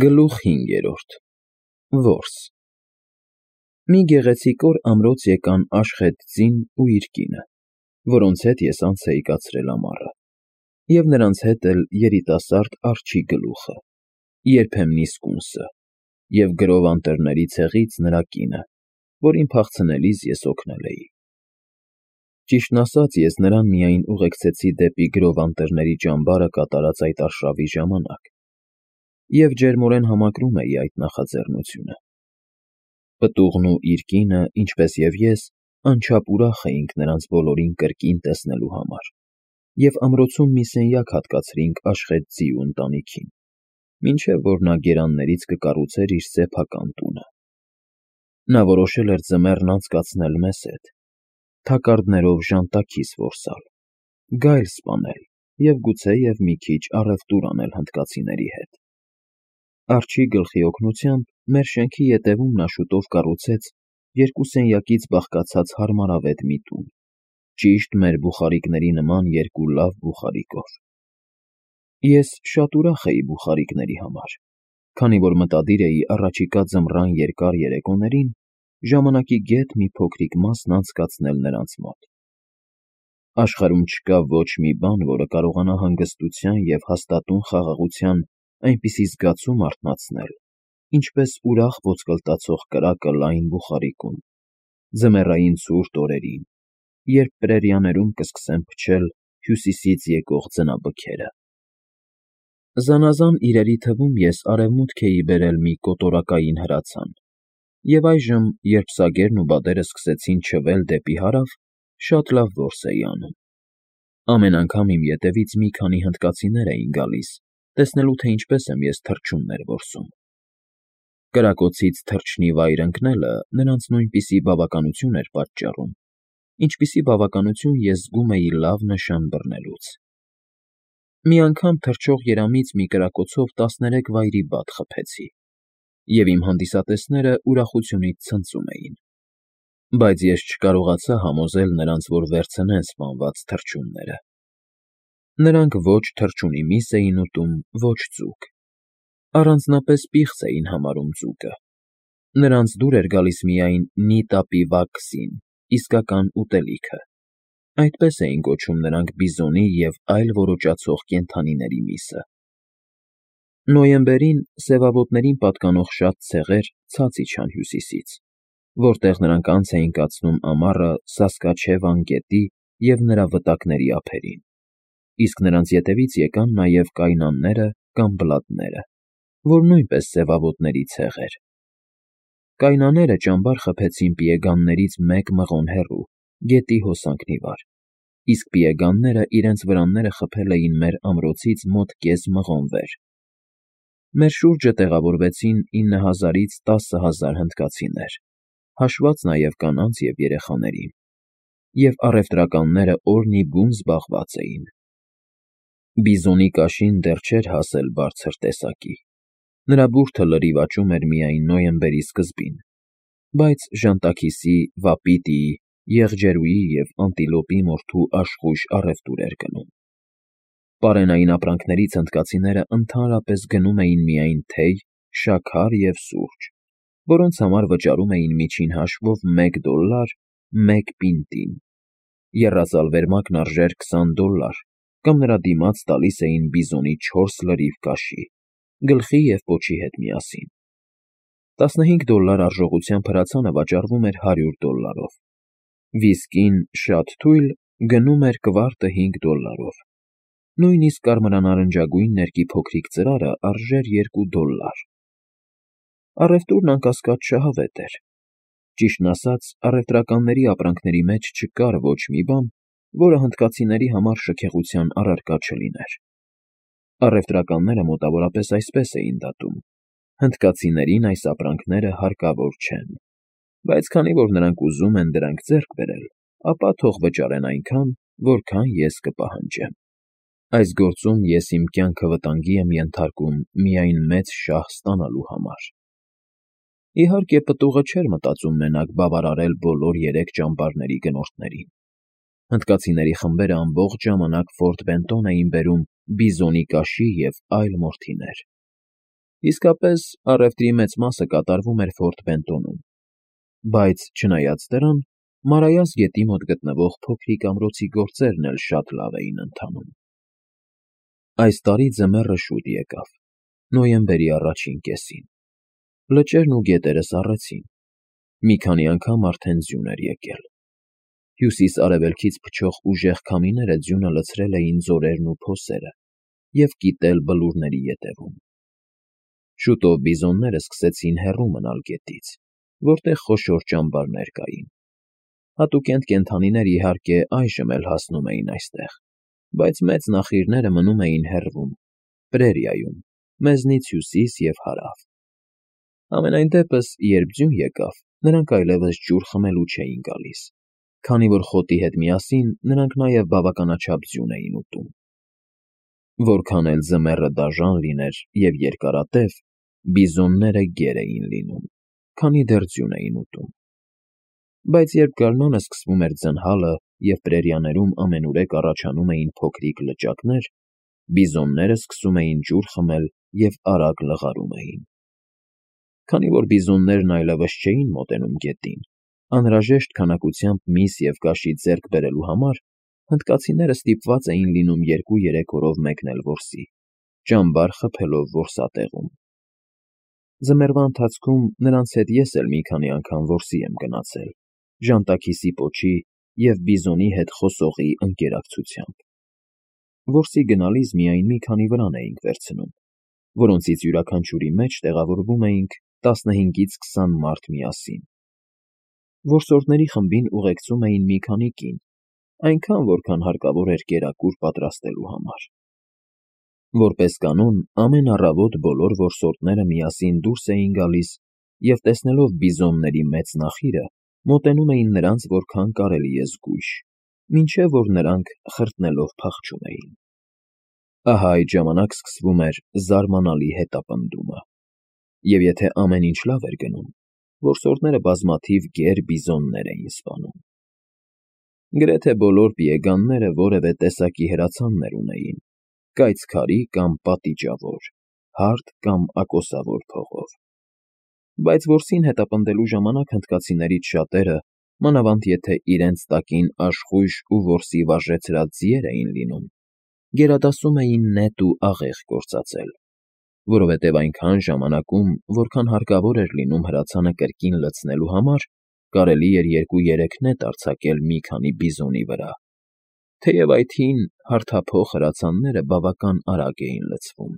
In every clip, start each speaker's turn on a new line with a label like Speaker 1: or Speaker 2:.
Speaker 1: Գլուխ 5. Որս Մի գեղեցիկ օր ամրոց եկան Աշխեթ ձին ու իր կինը, որոնց հետ ես անց էի կացրել ամառը, և նրանց հետ էլ երիտասարդ Արջի գլուխը, երբեմնի սկունսը, և գրով անտառների ցեղից նրա կինը, որին փախցնելիս ես օգնել էի։ Ճիշտն ասած, ես նրան միայն ուղեկցեցի դեպի գրով անտառների ճամբարը կատարած այդ արշավի ժամանակ և ջերմորեն համակրում էի այդ նախաձեռնությունը։ Պտուղն ու իր կինը, ինչպես և ես, անչափ ուրախ էինք նրանց բոլորին կրկին տեսնելու համար և ամրոցում մի սենյակ հատկացրինք Աշխեթ ձիու ընտանիքին, մինչև որ նա գերաններից կկառուցեր իր սեփական տունը։ Նա որոշել էր ձմեռն անցկացնել մեզ հետ, թակարդներով ժանտաքիս որսալ, գայլ սպանել և գուցեև մի քիչ առևտուր անել հնդկացիների հետ։ Արջի գլխի օգնությամբ մեր շենքի ետևում նա շուտով կառուցեց երկու սենյակից բաղկացած հարմարավետ մի տուն, ճիշտ մեր բուխարիկների նման երկու լավ բուխարիկով։ Ես շատ ուրախ էի բուխարիկների համար, քանի որ մտադիր էի առաջիկա ձմռան երկար երեկոներին ժամանակի գետ մի փոքրիկ մասն անցկացնել նրանց մոտ։ Աշխարհում չկա ոչ մի բան, որը կարողանա հանգստության և հաստատուն խաղաղության այնպիսի զգացում արթնացնել, ինչպես ուրախ ոսկլտացող կրակը լայն բուխարիկում, ձմեռային ցուրտ օրերին, երբ պրերիաներում կսկսեն փչել հյուսիսից եկող ձնաբքերը։ Զանազան իրերի թվում ես արևմուտք էի բերել մի կոտորակային հրացան, և այժմ, երբ սագերն ու բադերը սկսեցին չվել դեպի հարավ, շատ լավ որս էի անում։ Ամեն անգամ իմ ետևից մի քանի հնդկացիներ էին գալիս, տեսնելու թե ինչպես եմ ես թռչուններ որսում։ Կրակոցից թռչնի վայր ընկնելը նրանց նույնպիսի բավականություն էր պատճառում, ինչպիսի բավականություն ես զգում էի լավ նշան բռնելուց։ Մի անգամ թռչող երամից մի կրակոցով 13 վայրի բադ խփեցի, և իմ հանդիսատեսները ուրախությունից ցնծում էին, բայց ես չկարողացա համոզել նրանց, որ վերցնեն սպանված թռչունները։ Նրանք ոչ թռչունի միս էին ուտում, ոչ ձուկ։ Առանձնապես պիղծ էին համարում ձուկը։ Նրանց դուր էր գալիս միայն նիտապի վաքսին, իսկական ուտելիքը։ Այդպես էին կոչում նրանք բիզոնի և այլ ոռոճացող կենդանիների միսը։ Նոյեմբերին սևավոտներին պատկանող շատ ցեղեր ցած իջան հյուսիսից, որտեղ նրանք անց էին կացնում ամառը Սասկաչևան գետի և նրա վտակների ափերին, իսկ նրանց ետևից եկան նաև կայնանները կամ բլատները, որ նույնպես սևավոտների ցեղ էր։ Կայնաները ճամբար խփեցին պիեգաններից մեկ մղոն հեռու, գետի հոսանքն ի վար, իսկ պիեգանները իրենց վրանները խփել էին մեր ամրոցից մոտ կես մղոն վեր։ Մեր շուրջը տեղավորվեցին 9000-ից 10000 հնդկացիներ, հաշված նաև կանանց և երեխաներին, և առևտրականները օրնի բուն զբաղված էին։ Բիզոնի կաշին դեռ չէր հասել բարձր տեսակի, նրա բուրդը լրիվ աճում էր միայն նոյեմբերի սկզբին, բայց ժանտաքիսի, վապիտիի, եղջերուի և անտիլոպի մորթու աշխույժ առևտուր էր գնում։ Պարենային ապրանքներից հնդկացիները ընդհանրապես գնում էին միայն թեյ, շաքար և սուրճ, որոնց համար վճարում էին միջին հաշվով $1 մեկ պինտին, եռածալ վերմակն արժեր $20 կամ նրա դիմաց տալիս էին բիզոնի 4 լրիվ կաշի, գլխի և պոչի հետ միասին։ $15 արժողությամբ հրացանը վաճառվում էր $100, վիսկին շատ թույլ գնում էր կվարտը $5, նույնիսկ կարմրանարնջագույն ներկի փոքրիկ ծրարը արժեր $2։ Առևտուրն անկասկած շահավետ էր։ Ճիշտն ասած, առևտրականների ապրանքների մեջ չկար ոչ մի բան, որը հնդկացիների համար շքեղության առարկա չլիներ։ Առևտրականները մոտավորապես այսպես էին դատում. հնդկացիներին այս ապրանքները հարկավոր չեն, բայց քանի որ նրանք ուզում են դրանք ձեռք բերել, ապա թող վճարեն այնքան, որքան ես կպահանջեմ։ Այս գործում ես իմ կյանքը վտանգի եմ ենթարկում միայն մեծ շահ ստանալու համար։ Իհարկե, պտուղը չէր մտածում մենակ բավարարել բոլոր 3 ճամբարների գնորդներին։ Հնդկացիների խմբերը ամբողջ ժամանակ Ֆորտ Բենտոն էին բերում բիզոնի կաշի և այլ մորթիներ։ Իսկապես, առևտրի մեծ մասը կատարվում էր Ֆորտ Բենտոնում, բայց, չնայած դրան, Մարայաս գետի մոտ գտնվող փոքրիկ ամրոցի գործերն էլ շատ լավ էին ընթանում։ Այս տարի ձմեռը շուտ եկավ, նոյեմբերի առաջին կեսին։ Լճերն ու գետերը սառեցին, մի քանի անգամ արդեն ձյուն էր եկել։ Հյուսիս֊արևելքից փչող ուժեղ քամիները ձյունը լցրել էին ձորերն ու փոսերը և կիտել բլուրների ետևում։ Շուտով բիզոնները սկսեցին հեռու մնալ գետից, որտեղ խոշոր ճամբարներ կային։ Հատուկենտ կենդանիներ, իհարկե, այժմ էլ հասնում էին այստեղ, բայց մեծ նախիրները մնում էին հեռվում, պրերիայում, մեզնից հյուսիս և հարավ։ Համենայն դեպս, երբ ձյուն եկավ, նրանք այլևս ջուր խմելու չէին գալիս, քանի որ խոտի հետ միասին նրանք նաև բավականաչափ ձյուն էին ուտում։ Որքան էլ ձմեռը դաժան լիներ և երկարատև, բիզոնները գեր էին լինում, քանի դեռ ձյուն էին ուտում։ Բայց երբ գարնանը սկսվում էր ձնհալը և պրերիաներում ամենուրեք առաջանում էին փոքրիկ լճակներ, բիզոնները սկսում էին ջուր խմել և արագ լղարում էին։ Քանի որ բիզոններն այլևս չէին մոտենում գետին, անհրաժեշտ քանակությամբ միս և կաշի ձեռք բերելու համար հնդկացիները ստիպված էին լինում 2-3 օրով մեկնել որսի, ճամբար խփելով որսատեղում։ Ձմեռվա ընթացքում նրանց հետ ես էլ մի քանի անգամ որսի եմ գնացել, ժանտաքիսի պոչի և բիզոնի հետ խոսողի ընկերակցությամբ։ Որսի գնալիս միայն մի քանի վրան էինք վերցնում, որոնցից յուրաքանչյուրի մեջ տեղավորվում էինք 15-ից 20 մարդ միասին։ Որսորդների խմբին ուղեկցում էին մի քանի կին, այնքան, որքան հարկավոր էր կերակուր պատրաստելու համար։ Որպես կանոն, ամեն առավոտ բոլոր որսորդները միասին դուրս էին գալիս և, տեսնելով բիզոնների մեծ նախիրը, մոտենում էին նրանց որքան կարելի է զգույշ, մինչև որ նրանք խրտնելով փախչում էին։ Ահա այդ ժամանակ սկսվում էր զարմանալի հետապնդումը, և եթե ամեն ինչ լավ էր գնում, որսորդները բազմաթիվ գեր բիզոններ էին սպանում։ Գրեթե բոլոր պիեգանները որևէ տեսակի հրացաններ ունեին, կայծ քարի կամ պատիճավոր, հարթ կամ ակոսավոր փողով։ Բայց որսին հետապնդելու ժամանակ հնդկացիներից շատերը, մանավանդ եթե իրենց տակին աշխույժ ու որսի վարժեցրած ձիեր էին լինում, գերադասում էին նետ ու աղեղ գործածել, որովհետև այնքան ժամանակում, որքան հարկավոր էր լինում հրացանը կրկին լցնելու համար, կարելի էր 2-3 նետ արձակել մի քանի բիզոնի վրա, թեև այդ հին, հարթափոխ հրացանները բավական արագ էին լցվում։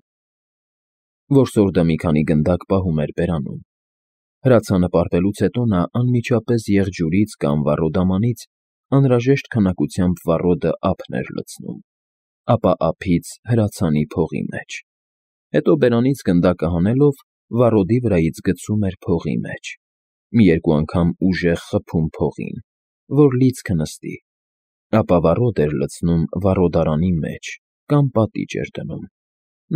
Speaker 1: Որսորդը մի քանի գնդակ պահում էր բերանում։ Հրացանը պարպելուց հետո նա անմիջապես եղջյուրից կամ վառոդամանից անհրաժեշտ քանակությամբ վառոդը ափն էր լցնում, ապա ափից հրացանի փողի մեջ։ Հետո բերանից գնդակը հանելով վառոդի վրայից գցում էր փողի մեջ, մի երկու անգամ ուժեղ խփում փողին, որ լիցքը նստի, ապա վառոդ էր լցնում վառոդարանի մեջ կամ պատիճ էր դնում,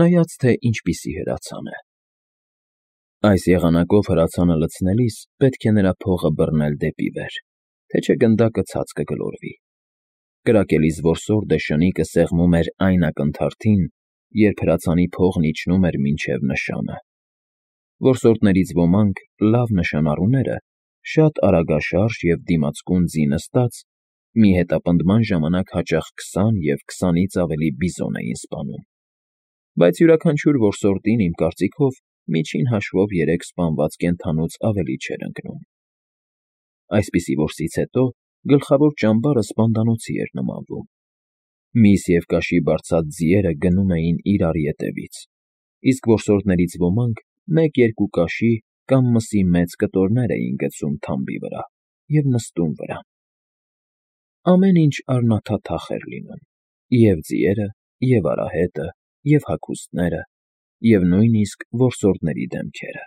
Speaker 1: նայած թե ինչպիսի հրացան է։ Այս եղանակով հրացանը լցնելիս պետք է նրա փողը բռնել դեպի վեր, թե չէ գնդակը ցած կգլորվի։ Կրակելիս որսորդը շնիկը սեղմում էր այն ակնթարթին, երբ հրացանի փողն իջնում էր մինչև նշանը։ Որսորդներից ոմանք, լավ նշանառուները, շատ արագաշարժ և դիմացկուն ձի նստած, մի հետապնդման ժամանակ հաճախ 20 և 20-ից ավելի բիզոն էին սպանում։ Բայց յուրաքանչյուր որսորդին, իմ կարծիքով, միջին հաշվով 3 սպանված կենդանուց ավելի չէր ընկնում։ Այսպիսի որսից հետո գլխավոր ճամբարը սպանդանոցի էր նմանվում։ Միս և կաշի բարձած ձիերը գնում էին իրար ետևից, իսկ որսորդներից ոմանք 1-2 կաշի կամ մսի մեծ կտորներ էին գցում թամբի վրա և նստում վրան։ Ամեն ինչ առնաթաթախ էր լինում, և ձիերը, և արահետը, և հագուստները, և նույնիսկ որսորդների դեմքերը։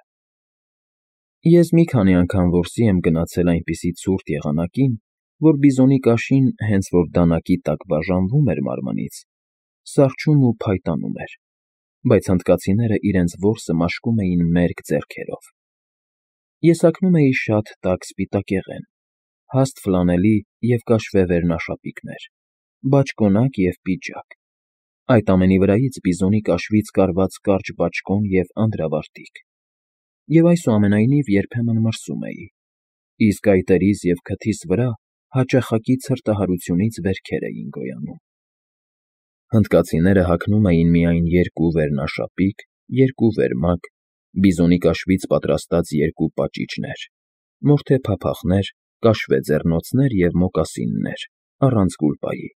Speaker 1: Ես մի քանի անգամ որսի եմ գնացել այնպիսի ցուրտ եղանակին, որ բիզոնի կաշին, հենց որ դանակի տակ բաժանվում էր մարմնից, սառչում ու փայտանում էր, բայց հնդկացիները իրենց որսը մաշկում էին մերկ ձեռքերով։ Ես հագնում էի շատ տաք սպիտակեղեն, հաստ ֆլանելի և կաշվե վերնաշապիկներ, բաճկոնակ և պիջակ, Այդ ամենի վրայից բիզոնի կաշվից կարված կարճ բաճկոն և անդրավարտիք, և այսուամենայնիվ երբեմն մրսում էի, իսկ այտերիս և քթիս վրա հաճախակի ցրտահարությունից վերքեր էին գոյանում։ Հնդկացիները հագնում էին միայն երկու վերնաշապիկ, երկու վերմակ, բիզոնի կաշվից պատրաստած երկու պաճիճներ, մորթե փափախներ, կաշվե ձեռնոցներ և մոկասիններ, առանց գուլպայի։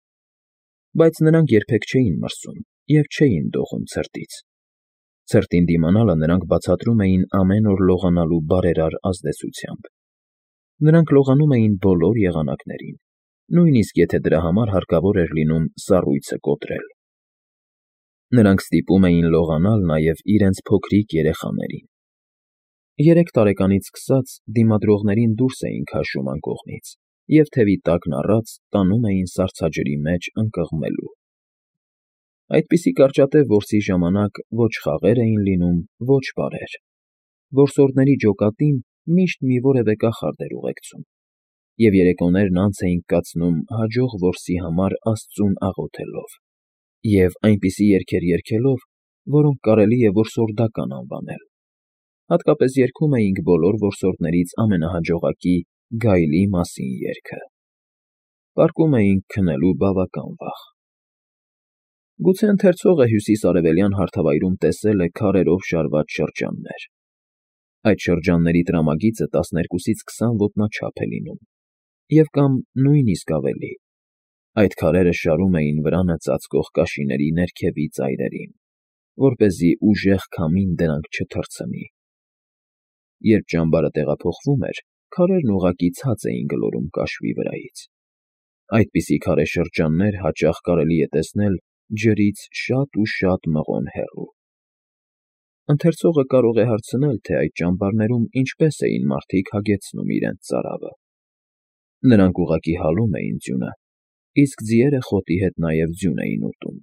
Speaker 1: Բայց նրանք երբեք չէին մրսում և չէին դողում ցրտից։ Ցրտին դիմանալը նրանք բացատրում էին ամեն օր լողանալու բարերար ազդեցությամբ։ Նրանք լողանում էին բոլոր եղանակներին, նույնիսկ եթե դրա համար հարկավոր էր լինում սառույցը կոտրել։ Նրանք ստիպում էին լողանալ նաև իրենց փոքրիկ երեխաներին։ 3 տարեկանից սկսած դիմադրողներին դուրս էին քաշում անկողնից և թևի տակն առած տանում էին սառցաջրի մեջ ընկղմելու։ Այդպիսի կարճատև որսի ժամանակ ոչ խաղեր էին լինում, ոչ պարեր։ Որսորդների ջոկատին միշտ մի որևէ կախարդ էր ուղեկցում, և երեկոներն անց էինք կացնում հաջող որսի համար աստծուն աղոթելով և այնպիսի երգեր երգելով, որոնք կարելի է որսորդական անվանել։ Հատկապես երգում էինք բոլոր որսորդներից ամենահաջողակի Գայլի մասին երգը։ Պառկում էինք քնելու բավական վաղ։ Գուցե ընթերցողը հյուսիս֊արևելյան հարթավայրում տեսել է քարերով շարված շրջաններ։ Այդ շրջանների տրամագիծը 12-ից 20 ոտնաչափ է լինում, և կամ նույնիսկ ավելի։ Այդ քարերը շարում էին վրանը ծածկող կաշիների ներքևի ծայրերին, որպեսզի ուժեղ քամին դրանք չթռցնի։ Երբ ճամբարը տեղափոխվում էր, քարերն ուղղակի ցած էին գլորում կաշվի վրայից։ Այդպիսի քարե շրջաններ հաճախ կարելի է տեսնել ջրից շատ ու շատ մղոն հեռու։ Ընթերցողը կարող է հարցնել, թե այդ ճամբարներում ինչպես էին մարդիկ հագեցնում իրենց ծարավը։ Նրանք ուղղակի հալում էին ձյունը, իսկ ձիերը խոտի հետ նաև ձյուն էին ուտում։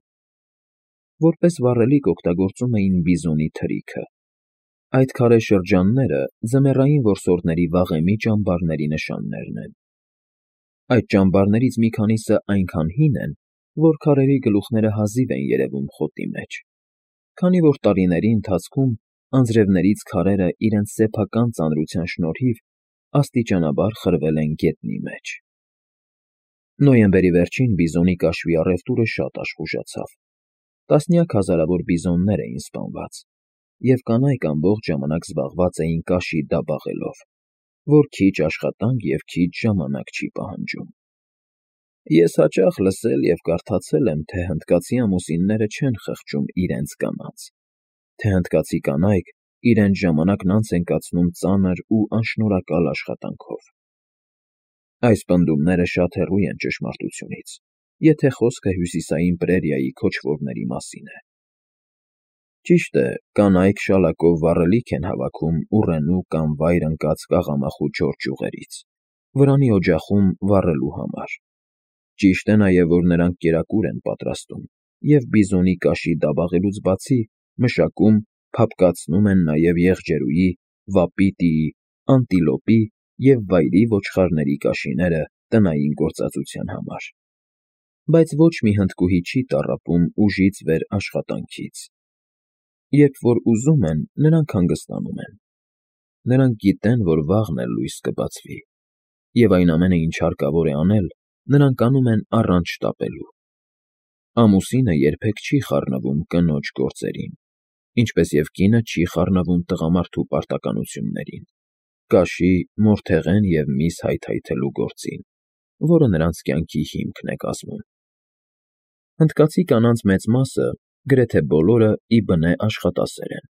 Speaker 1: Որպես վառելիք օգտագործում էին բիզոնի թրիքը։ Այդ քարե շրջանները ձմեռային որսորդների վաղեմի ճամբարների նշաններն են։ Այդ ճամբարներից մի քանիսը այնքան հին են, որ քարերի գլուխները հազիվ են երևում խոտի մեջ, քանի որ տարիների ընթացքում անձրևներից քարերը իրենց սեփական ծանրության շնորհիվ աստիճանաբար խրվել են գետնի մեջ։ Նոյեմբերի վերջին բիզոնի կաշվի առևտուրը շատ աշխուժացավ։ Տասնյակ հազարավոր բիզոններ էին սպանված, և կանայք ամբողջ ժամանակ զբաղված էին կաշի դաբաղելով, որ քիչ աշխատանք և քիչ ժամանակ չի պահանջում։ Ես հաճախ լսել և կարդացել եմ, թե հնդկացի ամուսինները չեն խղճում իրենց կանանց, թե հնդկացի կանայք իրենց ժամանակն անց են կացնում ծանր ու անշնորհակալ աշխատանքով։ Այս պնդումները շատ հեռու են ճշմարտությունից, եթե խոսքը հյուսիսային Պրերիայի քոչվորների մասին է։ Ճիշտ է, կանայք շալակով վառելիք են հավաքում ուռենու կամ վայր ընկած կաղամախու չոր ճյուղերից, վրանի օջախում վառելու համար։ Ճիշտ է նաև, որ նրանք կերակուր են պատրաստում և բիզոնի կաշի դաբաղելուց բացի մշակում, փափկացնում են նաև եղջերուի, վապիտիի, անտիլոպի և վայրի ոչխարների կաշիները տնային գործածության համար։ Բայց ոչ մի հնդկուհի չի տառապում ուժից վեր աշխատանքից։ Երբ որ ուզում են, նրանք հանգստանում են։ Նրանք գիտեն, որ վաղն էլ լույս կբացվի, և այն ամենը, ինչ հարկավոր է անել, նրանք անում են առանց շտապելու։ Ամուսինը երբեք չի խառնվում կնոջ գործերին, ինչպես և կինը չի խառնվում տղամարդու պարտականություններին, կաշի, մորթեղեն և միս հայթայթելու գործին, որը նրանց կյանքի հիմքն է կազմում։ Հնդկացի կանանց մեծ մասը, գրեթե բոլորը, ի բնե աշխատասեր են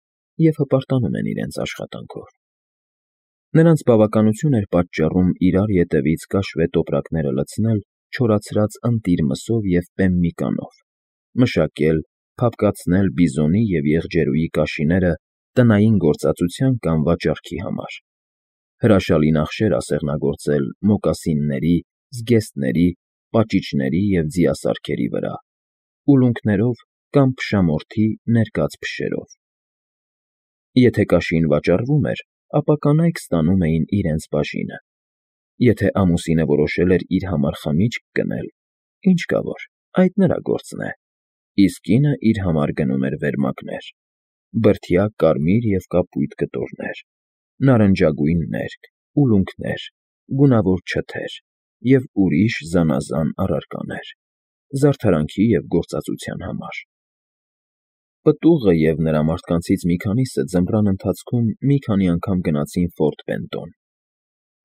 Speaker 1: և հպարտանում են իրենց աշխատանքով։ Նրանց բավականություն էր պատճառում իրար ետևից կաշվե տոպրակները լցնել չորացրած ընտիր մսով և պեմմիկանով, մշակել, փափկացնել բիզոնի և եղջերուի կաշիները տնային գործածության կամ վաճառքի համար, հրաշալի նախշեր ասեղնագործել մոկասինների, զգեստների, պաճիճների և ձիասարքերի վրա, ուլունքներով կամ փշամորթի ներկած փշերով։ Եթե կաշին վաճառվում էր, ապա կանայք ստանում էին իրենց բաժինը։ Եթե ամուսինը որոշել էր իր համար խմիչք գնել, ինչ կա որ, այդ նրա գործն է, իսկ կինը իր համար գնում էր վերմակներ, բրդյա կարմիր և կապույտ կտորներ, նարնջագույն ներք, ուլունքներ, գունավոր չթեր և ուրիշ զանազան առարկաներ, զարդարանքի և գործածության համար։ Պտուղը և նրա մարդկանցից մի քանիսը ձմռան ընթացքում մի քանի անգամ գնացին Ֆորտ Բենտոն։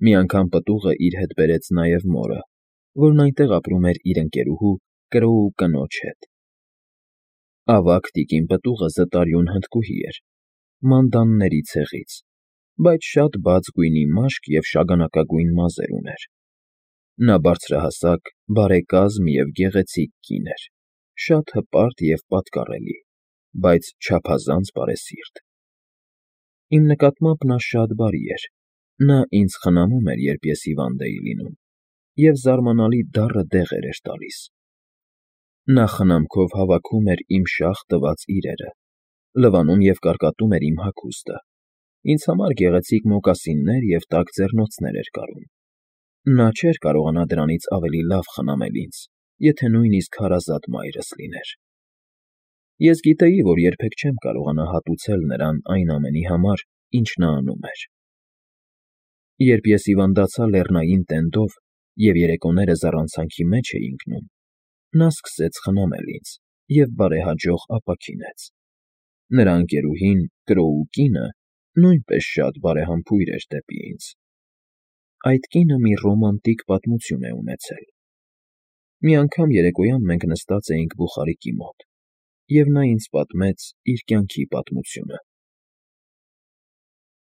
Speaker 1: Մի անգամ պտուղը իր հետ բերեց նաև մորը, որն այնտեղ ապրում էր իր ընկերուհու Կրոու կնոջ հետ։ Ավագ տիկին պտուղը զտարյուն հնդկուհի էր, մանդանների ցեղից, բայց շատ բաց գույնի մաշկ և շագանակագույն մազեր ուներ։ Նա բարձրահասակ, բարեկազմ և գեղեցիկ կին էր, շատ հպարտ և պատկառելի, բայց չափազանց բարեսիրտ։ Իմ նկատմամբ նա շատ բարի էր, նա ինձ խնամում էր, երբ ես հիվանդ էի լինում, և զարմանալի դառը դեղեր էր տալիս։ Նա խնամքով հավաքում էր իմ շաղ տված իրերը, լվանում և կարկատում էր իմ հագուստը, ինձ համար գեղեցիկ մոկասիններ և տաք ձեռնոցներ էր կարում։ Նա չէր կարողանա դրանից ավելի լավ խնամել ինձ, եթե նույնիսկ հարազատ մայրս լիներ։ Ես գիտեի, որ երբեք չեմ կարողանա հատուցել նրան այն ամենի համար, ինչ նա անում էր։ Երբ ես հիվանդացա լեռնային տենդով և երեկոները զառանցանքի մեջ էի ընկնում, նա սկսեց խնամել ինձ և բարեհաջող ապաքինեց։ Նրա ընկերուհին՝ Կրոու կինը, նույնպես շատ բարեհամբույր էր դեպի ինձ։ Այդ կինը մի ռոմանտիկ պատմություն է ունեցել։ Մի անգամ երեկոյան մենք նստած էինք բուխարիկի մոտ, և նա ինձ պատմեց իր կյանքի պատմությունը։